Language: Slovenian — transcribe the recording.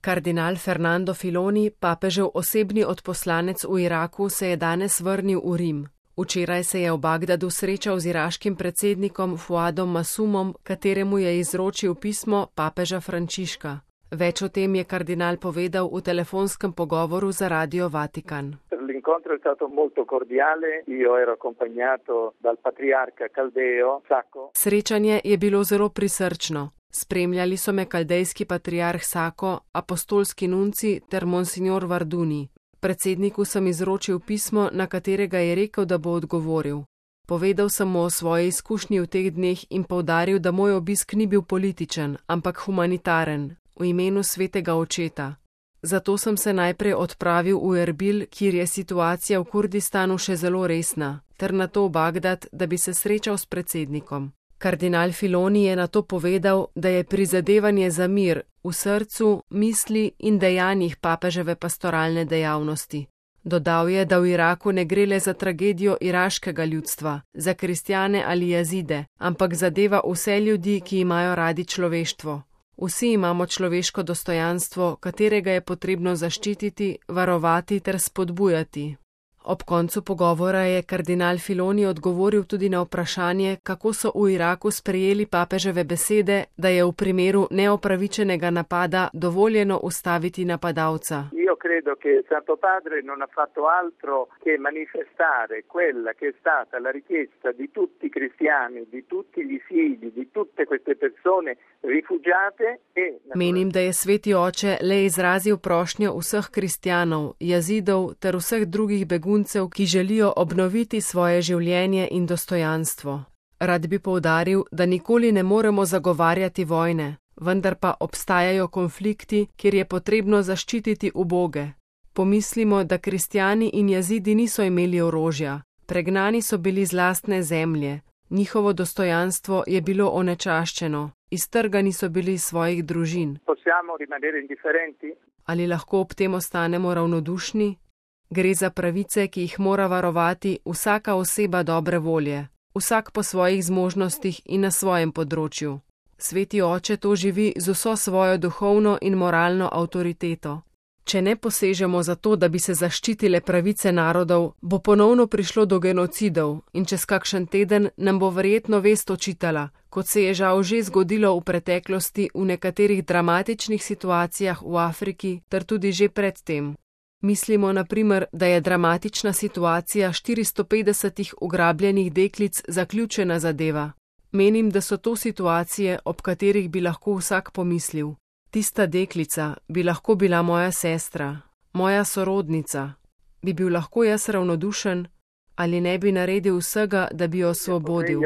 Kardinal Fernando Filoni, papežev osebni odposlanec v Iraku, se je danes vrnil v Rim. Včeraj se je v Bagdadu srečal z iraškim predsednikom Fuadom Masumom, kateremu je izročil pismo papeža Frančiška. Več o tem je kardinal povedal v telefonskem pogovoru za Radio Vatikan. L'incontro è stato molto cordiale, io ero accompagnato dal patriarca Caldeo Sacco. Srečanje je bilo zelo prisrčno. Spremljali so me kaldejski patriarh Sako, apostolski nunci ter monsignor Varduni. Predsedniku sem izročil pismo, na katerega je rekel, da bo odgovoril. Povedal sem mu o svoji izkušnji v teh dneh in poudaril, da moj obisk ni bil političen, ampak humanitaren, v imenu svetega očeta. Zato sem se najprej odpravil v Erbil, kjer je situacija v Kurdistanu še zelo resna, ter nato v Bagdad, da bi se srečal s predsednikom. Kardinal Filoni je nato povedal, da je prizadevanje za mir v srcu, misli in dejanjih papeževe pastoralne dejavnosti. Dodal je, da v Iraku ne gre le za tragedijo iraškega ljudstva, za kristjane ali jazide, ampak zadeva vse ljudi, ki imajo radi človeštvo. Vsi imamo človeško dostojanstvo, katerega je potrebno zaščititi, varovati ter spodbujati. Ob koncu pogovora je kardinal Filoni odgovoril tudi na vprašanje, kako so v Iraku sprejeli papeževe besede, da je v primeru neopravičenega napada dovoljeno ustaviti napadalca. Io credo che Santo Padre non ha fatto altro che manifestare quella che è stata la richiesta di tutti i cristiani, di tutti gli figli, di tutte queste persone rifugiate e... Menim, da je sveti oče le izrazil prošnjo vseh kristjanov, jazidov ter vseh drugih beguncev, ki želijo obnoviti svoje življenje in dostojanstvo. Rad bi poudaril, da nikoli ne moremo zagovarjati vojne, vendar pa obstajajo konflikti, kjer je potrebno zaščititi uboge. Pomislimo, da kristjani in jazidi niso imeli orožja, pregnani so bili z lastne zemlje, njihovo dostojanstvo je bilo onečaščeno, iztrgani so bili iz svojih družin. Ali lahko ob tem ostanemo ravnodušni? Gre za pravice, ki jih mora varovati vsaka oseba dobre volje, vsak po svojih zmožnostih in na svojem področju. Sveti oče to živi z vso svojo duhovno in moralno avtoriteto. Če ne posežemo za to, da bi se zaščitile pravice narodov, bo ponovno prišlo do genocidov in čez kakšen teden nam bo verjetno vest očitala, kot se je žal že zgodilo v preteklosti v nekaterih dramatičnih situacijah v Afriki ter tudi že predtem. Mislimo na primer, da je dramatična situacija 450 ugrabljenih deklic zaključena zadeva. Menim, da so to situacije, ob katerih bi lahko vsak pomislil. Tista deklica bi lahko bila moja sestra, moja sorodnica. Bi bil lahko jaz ravnodušen ali ne bi naredil vsega, da bi jo osvobodil?